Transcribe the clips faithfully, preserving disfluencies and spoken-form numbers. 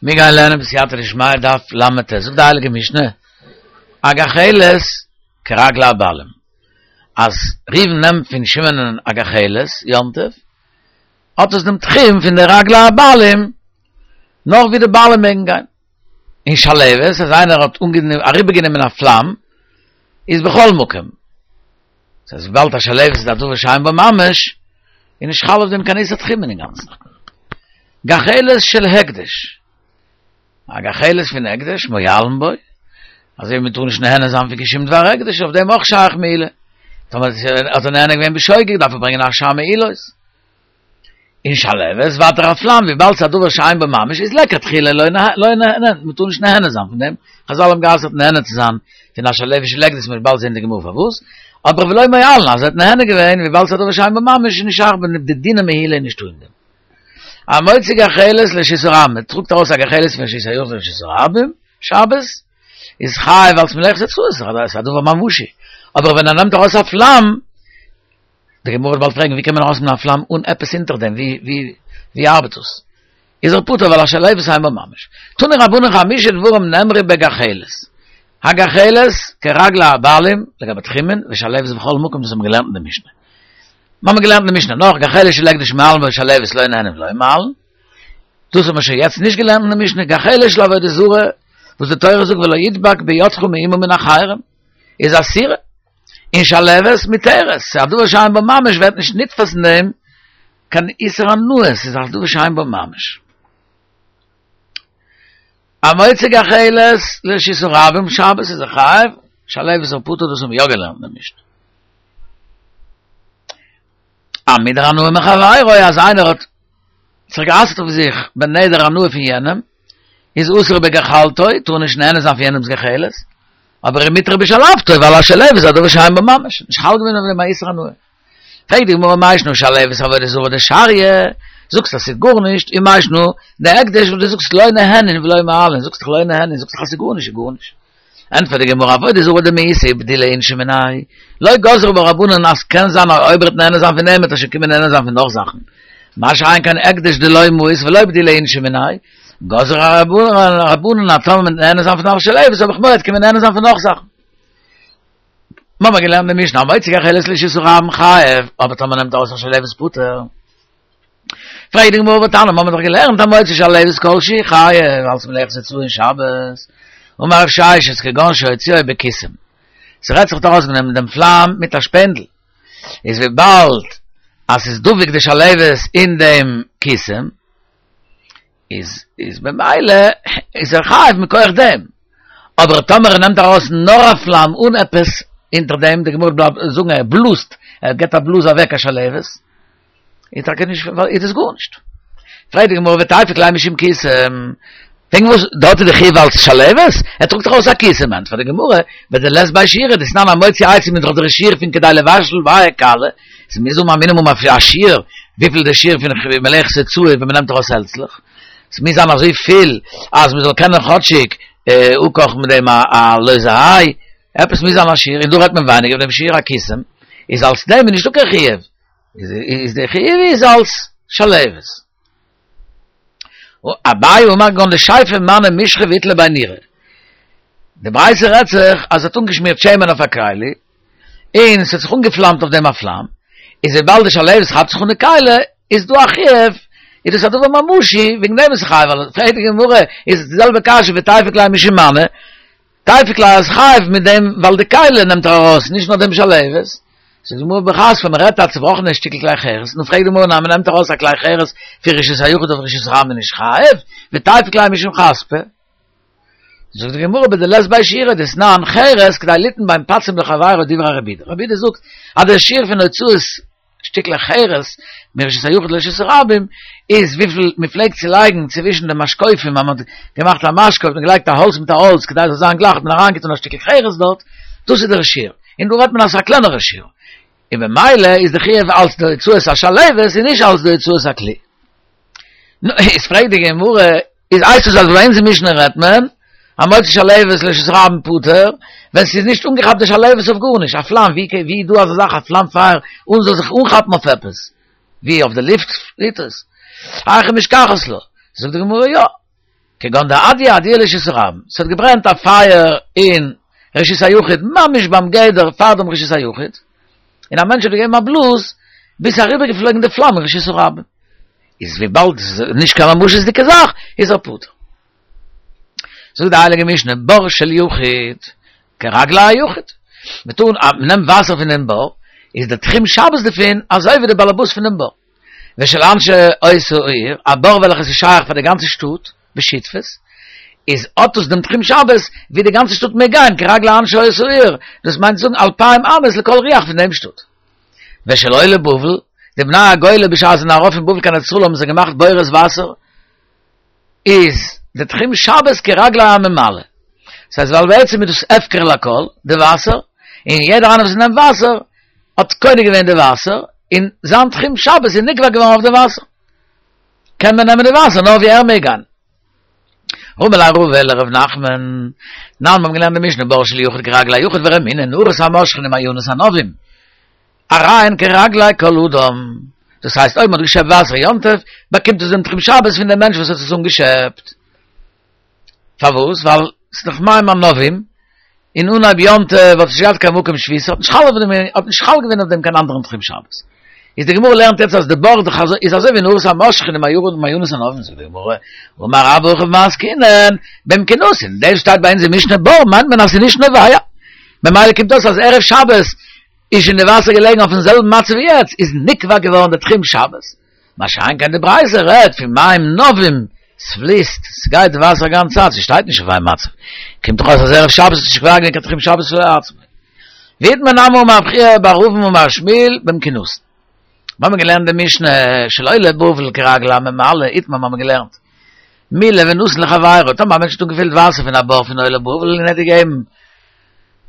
מיר גייען לערנען בסייעתא דשמיא דף ל"ט, זאגט די הייליגע משנה, א גחלת כרגלי הבעלים, אז ראובן נעמט פון שמעונ'ען א גחלת יום טוב, האט עס דעם תחום פון די רגלי הבעלים, נאך ווי די בעלים מעגן גיין. און שלהבת, אז איינער האט אריבערגענומען א פלאם, איז בכל מקום. דאס הייסט וויבאלד א שלהבת איז א דבר שאין בו ממש, איז נישט חל אויף דעם קיין איסור תחומין אינגאנצן. גחלת של הקדש, א גחלת פון הקדש, מועלין בו, אזוי ווי מען טאר נישט נהנה זיין פון קיין שום דבר הקדש, אויף דעם אויך שייך מעילה. טאמער האט ער נהנה געווען בשוגג דארף ער ברענגען אשם מעילות. און שלהבת, ווייטער א פלאם, וויבאלד ס'איז א דבר שאין בו ממש, איז לכתחילה לא נהנה, מ'טאר נישט נהנה זיין פון דעם, חזל האבן גע'אסר'ט נהנה צו זיין פון א שלהבת של הקדש, מ'וועט באלד זען די גמרא פארוואס, אבער ולא מועלין, אז ער האט נהנה געווען, וויבאלד ס'איז א דבר שאין בו ממש, איז נישט שייך די דיני מעילה איז נישטא אין דעם. המוציא גחלת לרשות הרבים, מען טראגט ארויס א גחלת פון רשות היחיד לרשות הרבים, שבת, איז חייב אלס מלאכת הוצאה, ס'איז א דבר ממשי, אבער ווען ער נעמט ארויס א פלאם, די גמרא וועט באלד פרעגן ווי קען מען ארויסנעמען א פלאם אן עפעס אונטער דעם, ווי ווי ווי ארבעט דאס? איז ער פטור ווייל א שלהבת אין בה ממש. תנו רבנן חמשה דברים נאמרו בגחלת, הגחלת כרגלי הבעלים לגבי תחומין ושלהבת בכל מקום דאס האבן מיר געלערנט אין די משנה. מיר האבן געלערנט אין די משנה נאך גחלת של הקדש מועלין בו ושלהבת לא נהנין ולא מועלין, דאס האבן מיר שוין יעצט נישט געלערנט אין די משנה, גחלת של עבודה זרה וואס די תורה זאגט ולא ידבק בידך מאומה מן החרם איז אסורה. און שלהבת מותרת, ס'איז א דבר שאין בו ממש ווערט נישט נתפס אין דעם קיין איסור הנאה, ס'איז א דבר שאין בו ממש. המוציא גחלת לרשות הרבים שבת איז ער חייב, שלהבת איז ער פטור דאס האבן מיר יא געלערנט אין די משנה. המודר הנאה מחבירו אז איינער האט זיך גע'אסר'ט אויף זיך בנדר הנאה פון יענעם, איז אסור בגחלתו, טאר נישט נהנה זיין פון יענעמ'ס גחלת, אבער ומותר בשלהבתו, ווייל א שלהבת איז א דבר שאין בו ממש, נישט חל געווען אויף דעם א איסור הנאה. פרעגט די גמרא מאי שנא שלהבת עבודה זרה דשריא, זאגסט אז ס'איז גארנישט, ומאי שנא דהקדש וואס דו זאגסט לא נהנין ולא מועלין, זאגסט דאך לא נהנין, זאגסט דאך אז ס'איז גארנישט איז גארנישט. ענטפערט די גמרא עבודה זרה דמאיסה ובדילי אינשי מיניה, לא גזרו בה רבנן אז קען זיין אז אויב ער וועט נהנה זיין פון דעם וועט ער שוין קומען נהנה זיין פון נאך זאכן, מה שאין כן הקדש דלא מאיס ולא בדילי אינשי מיניה, גזרו רבנן אז טאמער מ'וועט נהנה זיין פון א שלהבת האב איך מורא עט קומען נהנה זיין פון נאך זאכן. מ'האמער געלערנט די משנה המוציא גחלת לרשות הרבים חייב, אבער טאמער נעמט ארויס א שלהבת פטור. פרעגט די גמרא והתניא, מ'האמער דאך געלערנט המוציא שלהבת כל שהוא חייב אלס מלאכת הוצאה אין שבת, אמר רב ששת כגון שהוציאו בקיסם, ס'רעדט זיך ארויסגענומען דעם פלאם מיט א שפענדל, איז וויבאלד אז ס'איז דבוק די שלהבת אין דעם קיסם, איז איז במילא איז ער חייב מכח דעם, אבער טאמער ער נעמט ארויס נאר א פלאם אן עפעס אונטער דעם, די גמרא בלייבט זאגן ער בלאזט, ער געבט א בלאז אוועק א שלהבת, איז טאקע נישט איז עס גארנישט. פרעגט די גמרא ותיפוק ליה משום קיסם, וועגן וואס דארט איז די חיוב אלס שלהבת? ער טראגט דאך ארויס א קיסם, ענטפערט די גמרא, בדלית ביה שיעורא דתנן המוציא עצים איז דאך דער שיעור פון כדי לבשל ביה קלא, ס'מוז האבן א מינימום א שיעור, וויפיל די שיעור פון מלאכת הוצאה ווען מ'נעמט ארויס העלצלעך, ס'מוז זיין אזוי פיל אז מ'זאל קענען כאטשיג אפקאכן מיט דעם א לויזע איי, עפעס מוז זיין א שיעור, און דא רעדט מען ווייניגער פון דעם שיעור א קיסם, איז אלס דעם איז נישטא קיין חיוב, איז די חיוב איז אלס שלהבת. אביי אמר כגון דשייפיה מנא משחא ואיתלי ביה נורא. די ברייתא רעדט זיך אז ער האט אנגעשמירט שמן אויף א כלי, און ס'האט זיך אנגעפלאמט אויף דעם א פלאם, איז וויבאלד די שלהבת כאפט זיך אן די כלי, איז דא א חיוב, איז דאס א דבר ממשי, וועגן דעם איז חייב, ווייל פרעגט די גמרא, איז עס די זעלבע קשיא ותיפוק ליה משום מנא, תיפוק ליה אז חייב מיט דעם ווייל די כלי נעמט ער ארויס, נישט נאר דעם שלהבת. זאגט די גמרא בחספא, מען רעדט א צובראכענע שטיקל כלי חרס, נו פרעגט די גמרא מען נעמט ארויס א כלי חרס פון רשות היחיד אויף רשות הרבים איז נישט חייב, ותיפוק ליה משום חספא. זאגט די גמרא בדלית ביה שיעורא דתנן חרס כדי ליתן בין פצים לחבירו דברי רבי יהודה, רבי יהודה זאגט אז דער שיעור פון הוצאת שטיקלעך חרס מרשות היחיד לרשות הרבים איז וויפיל מען פלעגט צו לייגן צווישן די משקופים אז מען האט געמאכט א משקוף האט מען געלייגט א האלץ מיט א האלץ כדי עס זאל זיין גלייך האט מען אריינגעטון א שטיקל חרס דארט, דאס איז דער שיעור, און דא רעדט מען אז ס'איז א קלענערע שיעור, און במילא איז די חיוב אלץ די הוצאת השלהבת און נישט אלץ די הוצאת הכלי. נו, איז פרעגט די גמרא, איז הייסט עס אז ביי אונז אין משנה רעדט מען, המוציא שלהבת לרשות הרבים פטור, ווען ס'איז נישט אנגעכאפט די שלהבת אויף גארנישט, א פלאם, ווי ווי איז דא אזא זאך א פלאם פייער אן זאל זיך אנכאפן אויף עפעס, ווי אויף די לופט פליט עס, היכי משכחת לה, זאגט די גמרא יא, כגון דאדיה אדיה לרשות הרבים. ס'האט געברענט א פייער אין רשות היחיד, ממש ביים גדר פאר דעם רשות היחיד, און א מענטש האט געגעבן א בלאז, ביז ס'איז אריבערגעפלויגן די פלאם אין רשות הרבים. איז וויבאלד ס'איז נישט קיין ממשות'דיגע זאך, איז ער פטור. זאגט די הייליגע משנה, בור של יחיד, כרגלי היחיד. מ'טאר, מ'נעמט וואסער פון דעם בור, איז דער תחום שבת דערפון אזוי ווי דער באלעבאס פון דעם בור. ושל אנשי אותה העיר, א בור וועלכעס איז שייך פאר די גאנצע שטאט, בשותפות, איז האט עס דעם תחום שבת ווי די גאנצע שטאט מעג גיין, כרגלי אנשי אותה העיר, דאס מיינט צו זאגן אלפיים אמות לכל רוח פון דעם שטאט. ושל עולי בבל, די בני הגולה בשעת זיי זענען ארויף פון בבל קיין ארץ ישראל האבן זיי געמאכט בורות וואסער, איז די תחום שבת כרגלי הממלא. דאס הייסט ווייל בעצם איז דאס הפקר לכל, די וואסער, און יעדער איינער וואס נעמט וואסער האט קונה געווען די וואסער, און זיין תחום שבת איז נקבע געווארן אויף די וואסער. קען מען נעמען די וואסער נאר ווי ער מעג גיין. רמי ליה רבא לרב נחמן, תנן מיר האבן געלערנט די משנה בור של יחיד כרגלי היחיד ורמינהו נהרות המושכין ומעיינות הנובעים הרי הן כרגלי כל אדם, דאס הייסט אויב מען האט געשעפט וואסער יום טוב באקומט עס דעם תחום שבת פון דעם מענטש וואס האט עס אנגעשעפט, פארוואס? ווייל ס'איז דאך מים הנובעים, און אנהייב יום טוב האט נישט געהאט קיין מקום שביתה, האט נישט חל אויף דעם, האט נישט חל געווען אויף דעם קיין אנדערן תחום שבת. איז די גמרא לערנט יעצט אז די בור איז אזוי ווי נהרות המושכין ומעיינות הנובעים, זאגט די גמרא, אמר רבה הכא במאי עסקינן, במכונסין, דאס שטייט ביי אונז אין משנה בור מיינט מען אז ס'איז נישט נובע, ממילא קומט אויס אז ערב שבת איז שוין די וואסער געלעגן אויפן זעלבן מצב ווי יעצט, איז נקבע געווארן די תחום שבת. מה שאין כן די ברייתא רעדט פון מים נובעים, ס'פליסט, ס'גייט די וואסער א גאנצע צייט, ס'שטייט נישט אויף איין מצב. קומט דאך אויס אז ערב שבת איז נישט קובע געווען קיין תחום שבת לעצמו. ואיתמר נמי אמר רב חייא בר אבין אמר שמואל במכונסין. מיר האבן געלערנט די משנה של עולי בבל כרגלי הממלא, איתמר מיר האבן געלערנט מילא ונתן לחבירו, טאמער א מענטש האט אנגעפילט וואסער פון א בור פון עולי בבל און ער האט געגעבן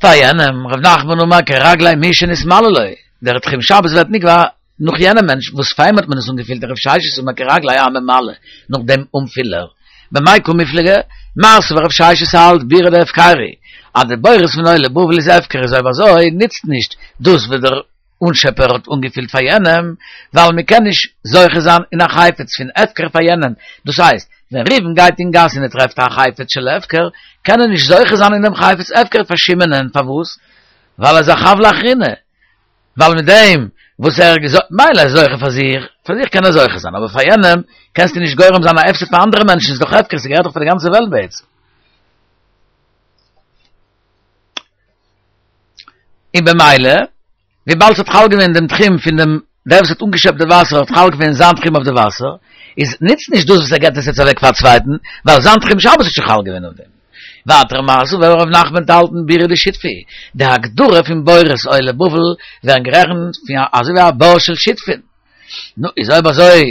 פאר יענעם, ר' נחמן אמר כרגלי מי שנתמלא לו, דער תחום שבת ווערט נקבע נאך יענעם מענטש וואס פאר אים האט מען עס אנגעפילט, רב ששת אמר כרגלי הממלא, נאך דעם אנפילער. במאי קא מיפלגי, מר סבר רב ששת האלט בירא דהפקירא, אז די בורות פון עולי בבל איז הפקר איז אויב אזוי נוצט נישט דאס וואס דער אנשעפער האט אנגעפילט פאר יענעם, ווייל מען קען נישט זוכה זיין אין א חפץ פון הפקר פאר יענעם, דאס הייסט, ווען ראובן גייט אין גאס און ער טרעפט א חפץ של הפקר, קען ער נישט זוכה זיין אין דעם חפץ הפקר פאר שמעונ'ען, פארוואס? ווייל ער איז א חב לאחרינא, ווייל מיט דעם וואס ער איז מילא איז זוכה פאר זיך, פאר זיך קען ער זוכה זיין, אבער פאר יענעם קענסטו נישט גורם זיין א הפסד פאר אנדערע מענטשן, ס'איז דאך הפקר, ס'געהערט דאך פאר די גאנצע וועלט בעצם. און במילא, וויבאלד ס'האט חל געווען דעם תחום פון דעם, דער וואס האט אנגעשעפט די וואסער האט חל געווען זיין תחום אויף די וואסער, איז נוצט נישט דאס וואס ער געבט עס יעצט אוועק פאר א צווייטן, ווייל זיין תחום שבת האט שוין חל געווען אויף דעם. ווייטער מר סבר רב נחמן האלט בירא דשותפי, די הגדרה פון בורות עולי בבל ווערן גערעכנט פון אזוי ווי א בור של שותפין. נו, איז אויב אזוי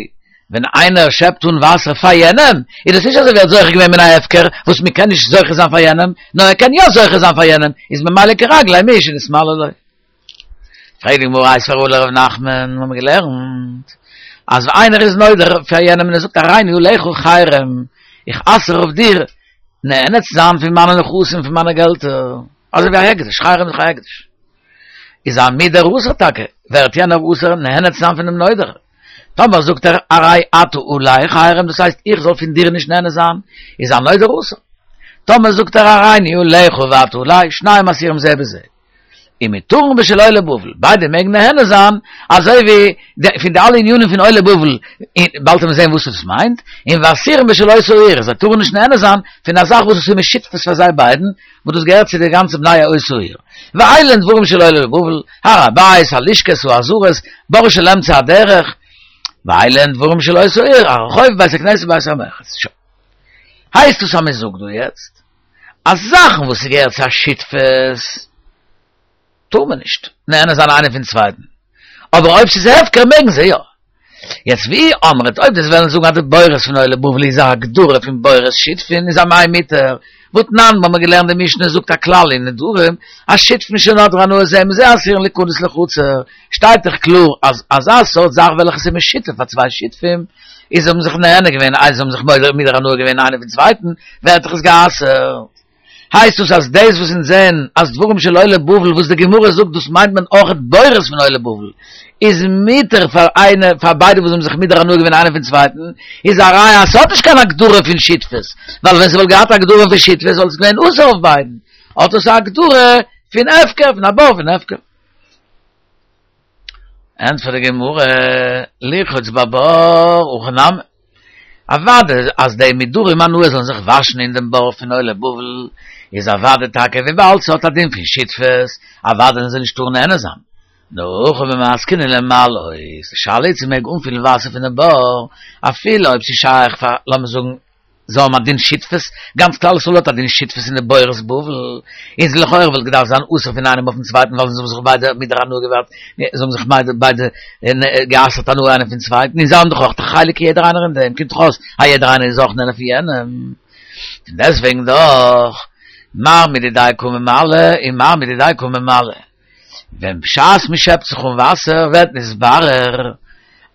ווען איינער שעפט אן וואסער פאר יענעם, איז דאס נישט אזוי ווי ער האט זוכה געווען מן ההפקר וואס מען קען נישט זוכה זיין פאר יענעם, נאר ער קען יא זוכה זיין פאר יענעם, איז ממילא כרגלי מי שנתמלא לו. פרעגט די גמרא איתיביה רבא לרב נחמן, מיר האבן געלערנט אז ווען איינער איז נודר פאר יענעם און ער זאגט הריני עליך חרם, איך אסר אויף דיר נהנה צו זיין פון מיינע נכסים פון מיינע געלטער, אזוי ווי א הקדש, חרם איז דאך א הקדש, איז המודר אסור טאקע, ווערט יענער אסור נהנה צו זיין פונעם נודר, טאמער זאגט ער הרי אתה עלי חרם דאס הייסט איך זאל פון דיר נישט נהנה זיין, איז הנודר אסור, טאמער זאגט ער הריני עליך ואתה עלי, שניהם אסורים זה בזה. ומותרין בשל עולי בבל, ביידע מעגן נהנה זיין, אזוי ווי פון די אלע ענינים פון עולי בבל, באלד וועט מען זען וואס עס מיינט, און ואסורים בשל אותה העיר, זיי טארן נישט נהנה זיין פון א זאך וואס עס איז משותפות פאר זיי ביידן, וואס דאס געהערט צו די גאנצע בני אותה העיר. ואלו הן דברים של עולי בבל, הר הבית, הלשכות, העזרות, בור של אמצע הדרך, ואלו הן דברים של אותה העיר, הרחוב, בית הכנסת, בית המרחץ. הייסט עס אז מען זאגט דא יעצט אז זאכן וואס ס'געהערט צו א שותפות טאר מען נישט נהנה זיין איינער פון צווייטן, אבער אויב ס'איז הפקר מעגן זיי יא. יעצט ואי אמרת אויב דו'סט וועלן זאגן אז די בורות פון עולי בבל איז א הגדרה פון בורות שותפין איז אמאי מותר, והתנן מ'האמיר געלערנט די משנה זאגט א כלל אין נדרים אז שותפין שנדרו הנאה זה מזה אסורין ליכנס לחצר, שטייט דאך קלאר אז אזא סארט זאך וועלכע ס'איז משותף פאר צוויי שותפים איז זיי האבן זיך נהנה געווען איי זיי האבן זיך מודר הנאה געווען איינער פון צווייטן ווערט דאך עס גע'אסר'ט. הייסט דאס אז דאס וואס אונז זעהן אז דברים של עולי בבל וואס די גמרא זאגט דאס מיינט מען אויכעט בורות פון עולי בבל איז מותר פאר איינע פאר ביידע וואס האבן זיך מודר הנאה געווען איינער פון צווייטן איז א ראיה אז ס'האט נישט קיין הגדרה פון שותפות ווייל ווען ס'וואלט געהאט א הגדרה פון שותפות וואלט עס געווען אסור אויף ביידן האט עס א הגדרה פון הפקר פון א בור פון הפקר. ענטפערט די גמרא, לרחוץ בבור, הכי נמי. אוודאי אז די מודרי הנאה זאלן זיך וואשן אין דעם בור פון עולי בבל, איז אוודאי טאקע וויבאלד ס'האט א דין פון שותפות, אוודאי זאלן זיי נישט טארן נהנה זיין. נאר הכא במתקינן למלאות, די שאלה איז צו מ'מעג אנפילן וואסער פונעם בור, אפילו אויב ס'איז שייך פאר, לאמיר זאגן, זיי האבן א דין שותפות, גאנץ כלל ישראל האט א דין שותפות אין די בורות בבל, איז לכאורה וואלט געדארפט זיין אסור פון איינעם אויפן צווייטן ווייל זיי האבן זיך ביידע מודר הנאה געווארט, זיי האבן זיך ביידע גע'אסר'ט הנאה איינער פון צווייטן, און זיי האבן דאך אויך א חלק יעדער איינער אין דעם, קומט דאך אויס אז יעדער איינער איז אויך נהנה פון יענעם, פון דעסטוועגן דאך, מר מדידיה קא ממלא און מר מדידיה קא ממלא, ווען בשעת מען שעפט זיך אן וואסער ווערט נתברר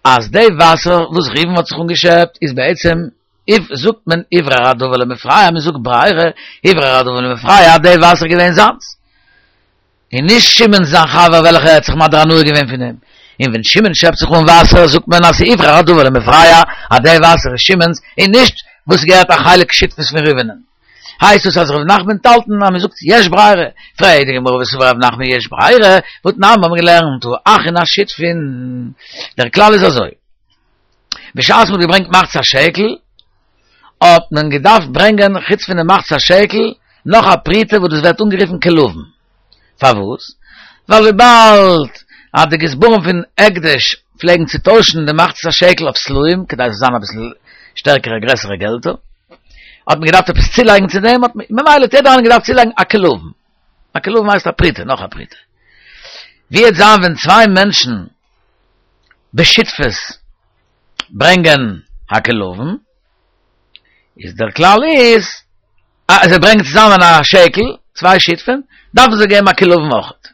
אז די וואסער וואס ראובן האט זיך אנגעשעפט איז בעצם איף זאגט מען הוברר הדבר למפרע, מען זאגט ברירה, הוברר הדבר למפרע, אז די וואסער איז געווען זיינס, און נישט שמעון זיין חבר וועלכער האט זיך מדיר הנאה געווען פון אים, און ווען שמעון שעפט זיך אן וואסער זאגט מען אז ס'איז הוברר הדבר למפרע, אז די וואסער איז שמעון'ס, און נישט וואס געהערט א חלק שותפות פון ראובנ'ן. הייסט עס אז ר' נחמן וועט האלטן אז מען זאגט יש ברירה, פרעגט די גמרא וסבר ר' נחמן יש ברירה, והתנן האבן מיר געלערנט האחין השותפין, דער כלל איז אזוי, בשעת מ'האט געברענגט מחצית השקל, האט מען געדארפט ברענגען חוץ פון די מחצית השקל נאך א פרוטה וואס דאס ווערט אנגערופן כלבון. פארוואס? ווייל וויבאלד אז די גזברים פון הקדש פלעגן צו טוישן די מחצית השקל אויף סלעים כדי עס זאל זיין אביסל שטערקערע גרעסערע געלטער, האט מען געדארפט עפעס צולייגן צו דעם, האט מען ממילא האט יעדער איינער געדארפט צולייגן א כלבון. א כלבון הייסט א פרוטה, נאך א פרוטה. ווי וועט זיין ווען צוויי מענטשן בשותפות ברענגען א כלבון, איז דער כלל איז אז זיי ברענגען צוזאמען א שקל, צוויי שותפים, דארפן זיי געבן א כלבון אויכעט.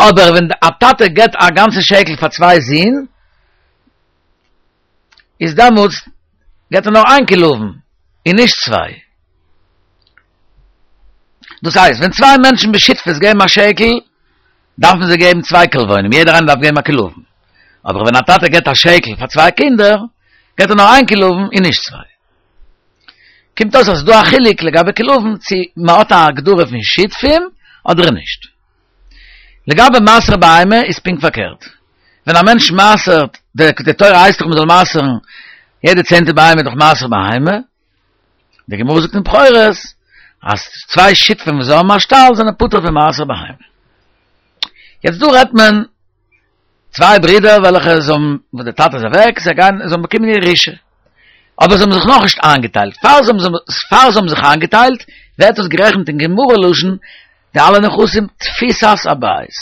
אבער ווען א טאטע געבט א גאנצע שקל פאר צוויי זין, איז דעמאלטס געבט ער נאר איין כלבון און נישט צוויי. דאס הייסט, ווען צוויי מענטשן בשותפות געבן א שקל, דארפן זיי געבן צוויי כלבונים, יעדער איינער דארף געבן א כלבון. אבער ווען א טאטע געבט א שקל פאר צוויי קינדער, געבט ער נאר איין כלבון און נישט צוויי. קומט אויס אז ס'איז דא א חילוק לגבי כלבון צו מ'האט א הגדרה פון שותפים אדער נישט. לגבי מעשר בהמה איז פונקט פארקערט. ווען א מענטש מעשר'ט, די תורה הייסט דאך מ'זאל מעשר'ן יעדע צענטע בהמה איז דאך מעשר בהמה, די גמרא זאגט אין בכורות אז צוויי שותפים וואס האבן א שטאל זענען פטור פון מעשר בהמה. יעצט דא רעדט מען צוויי ברידער וועלכע זיי האבן, וואס די טאטע איז אוועק, זיי גייען, זיי האבן באקומען ירושה, אבער זיי האבן זיך נאכנישט איינגעטיילט, פאר זיי האבן, פאר זיי האבן זיך איינגעטיילט ווערט דאס גערעכנט אין גמרא לשון די אלע נכסים תפיסת הבית.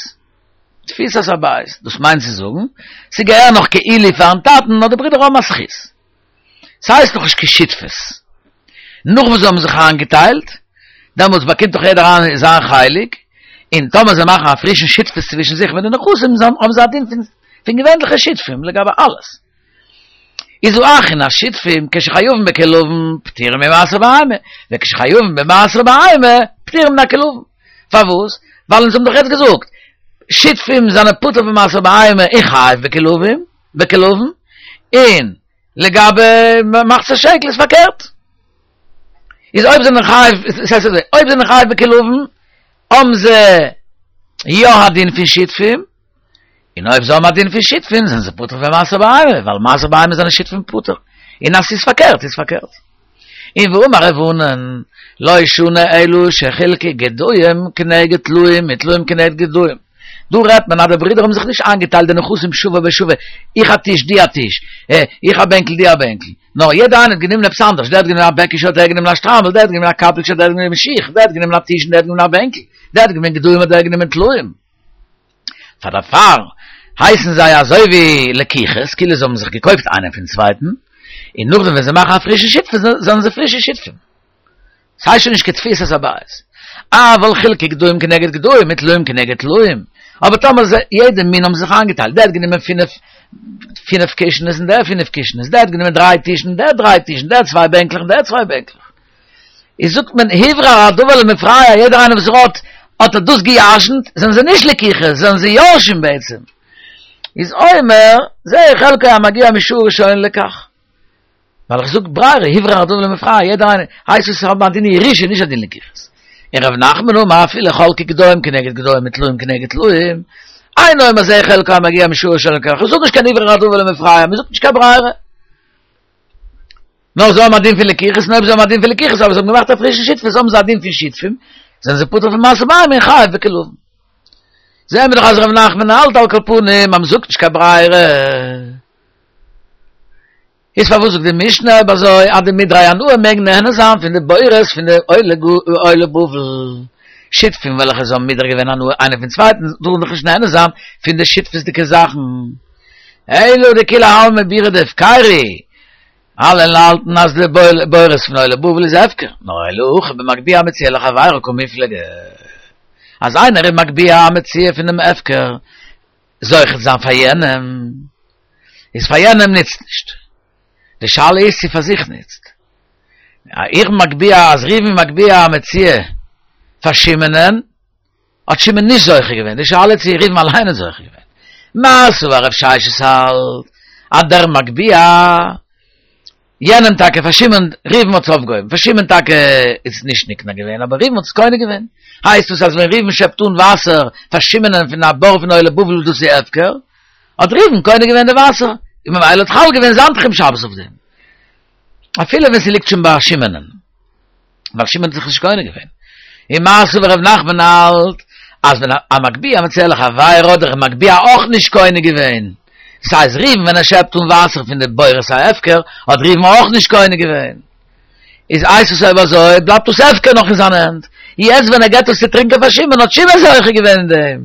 תפיסת הבית, דאס מיינט צו זאגן, ס'געהער נאך כאילו פארן טאטן, נאר די ברידער האבן א זכות. ס'הייסט נאך נישט קיין שותפות. נאך וואס זיי האבן זיך איינגעטיילט, דעמאלטס באקומט דאך יעדער איינער זיין חלק, און טאמער זיי מאכן א פרישן שותפות צווישן זיך מיט די נכסים, האבן זיי א דין פון געווענליכע שותפים לגבי אלעס. איז האחין השותפים כשחייבים בכלבון פטורים ממעשר בהמה, וכשחייבים במעשר בהמה פטורים מן הכלבון. פארוואס? ווייל אונז האבן דאך יעצט געזאגט, שותפים זענען פטור פון מעשר בהמה און חייב בכלבים, בכלבון, און לגבי מחצית השקל איז פארקערט. איז אויב זענען חייב, עס הייסט אזוי, אויב זענען חייב בכלבון, האבן זיי יא א דין פון שותפים, און אויב זיי האבן א דין פון שותפים זענען זיי פטור פון מעשר בהמה, ווייל מעשר בהמה זענען שותפים פטור. און אז ס'איז פארקערט איז פארקערט. און ואמר רב ענן, לא שנו אלא שחילקו גדיים כנגד טלאים וטלאים כנגד גדיים. דא רעדט מען אז די ברידער האבן זיך נישט איינגעטיילט די נכסים שווה בשווה, איך א טיש דו א טיש, איך א בענקל דו א בענקל, נאר יעדער איינער האט גענומען עפעס אנדערש, דער האט גענומען א בעקישע האט דער גענומען א שטריימל, דער האט גענומען א קאפעלוטש האט דער גענומען שיך, דער האט גענומען א טיש און דער האט גענומען א בענקל, דער האט גענומען גדיים האט דער גענומען טלאים. פאר דערפאר הייסן זיי אזוי ווי לקוחות, כאילו זיי האבן זיך געקויפט איינער פון צווייטן, און נאכדעם ווען זיי מאכן א פרישע שותפות זענען זיי פרישע שותפים. ס'הייסט שוין נישט קיין תפיסת הבית. אבל חילקו גדיים כנגד גדיים וטלאים כנגד טלאים. אבער טאמער זיי, יעדע מין האבן זיך איינגעטיילט, דער האט גענומען פינף פינף קישנעס און דער פינף קישנעס, דער האט גענומען דריי טישן און דער דריי טישן, דער צוויי בענקלעך און דער צוויי בענקלעך. איז זאגט מען הוברר הדבר למפרע, יעדער איינער וואס ער האט, האט ער דאס געירשנט, זענען זיי נישט לקיחה, זענען זיי יורשים בעצם. איז אומר, זה חלקו המגיע משעה ראשונה לכך. ווייל איך זאג ברירה, הוברר הדבר למפרע, יעדער איינער, הייסט עס האבן א דין ירושה, נישט א דין לקיחות. און רב נחמן אמר אפילו חלקו גדיים כנגד גדיים וטלאים כנגד טלאים, אינו אומר זה חלקו המגיע משעה ראשונה לכך, איך זאג נישט קיין הוברר הדבר למפרע, מען זאגט נישט קיין ברירה. נאר זיי האבן א דין פון לקיחות, און אויב זיי האבן א דין פון לקיחות, אבער זיי האבן געמאכט א פרישע שותפות, האבן זיי א דין פון שותפים, זענען זיי פטור פון מעשר בהמה און חייב בכלבים. זעען מיר דאך אז ר' נחמן האלט על כל פנים אז מ'זאגט נישט קיין ברירה. איז פארוואס זאגט די משנה אויב אזוי אז די מודרי הנאה מעגן נהנה זיין פון די בורות פון די עולי בבל? שותפים וועלכע זיי האבן מודר געווען הנאה איינער פון צווייטן טארן דאך נישט נהנה זיין פון די שותפות'דיגע זאכן. אלא דכולי עלמא בירא דהפקירא אלע האלטן אז די בורות פון עולי בבל איז הפקר, נאר אלא הכא במגביה המציאה לחבירו קמיפלגי. אז איינער איז מגביה א מציאה פונעם הפקר זוכה צו זיין פאר יענעם, איז פאר יענעם נוצט נישט. די שאלה איז צו פאר זיך נוצט. איך בין מגביה אז ראובן איז מגביה א מציאה פאר שמעונ'ען, האט שמעון נישט זוכה געווען, די שאלה איז צו ראובן אליין האט זוכה געווען. מר סבר רב ששת האלט אז דער מגביה יענעם טאקע פאר שמעון, ראובן האט עס אויפגעהויבן, פאר שמעון טאקע איז עס נישט נקנה געווען, אבער ראובן האט עס קונה געווען. הייסט עס אז ווען ראובן שעפט אן וואסער פאר שמעונ'ען פון א בור פון עולי בבל וואס דאס איז הפקר, האט ראובן קונה געווען די וואסער, און ממילא האט חל געווען זיין תחום שבת אויף דעם. אפילו ווען ס'ליגט שוין ביי שמעונ'ען. ווייל שמעון האט זיך נישט קונה געווען. און מר סבר רב נחמן האלט אז ווען המגביה המציאה לחבירו האט דער מגביה אויך נישט קונה געווען. דאס הייסט ראובן ווען ער שעפט אן וואסער פון די בורות ההפקר האט ראובן אויך נישט קונה געווען. איז הייסט עס אויב אזוי בלייבט דאס הפקר נאך אין זיינע הענט. יעצט ווען ער געבט עס צו טרינקען פאר שמעון האט שמעון זוכה געווען אין דעם.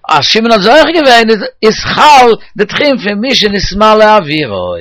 אז שמעון האט זוכה געווען איז חל די תחום פון מי שנתמלא אוירו.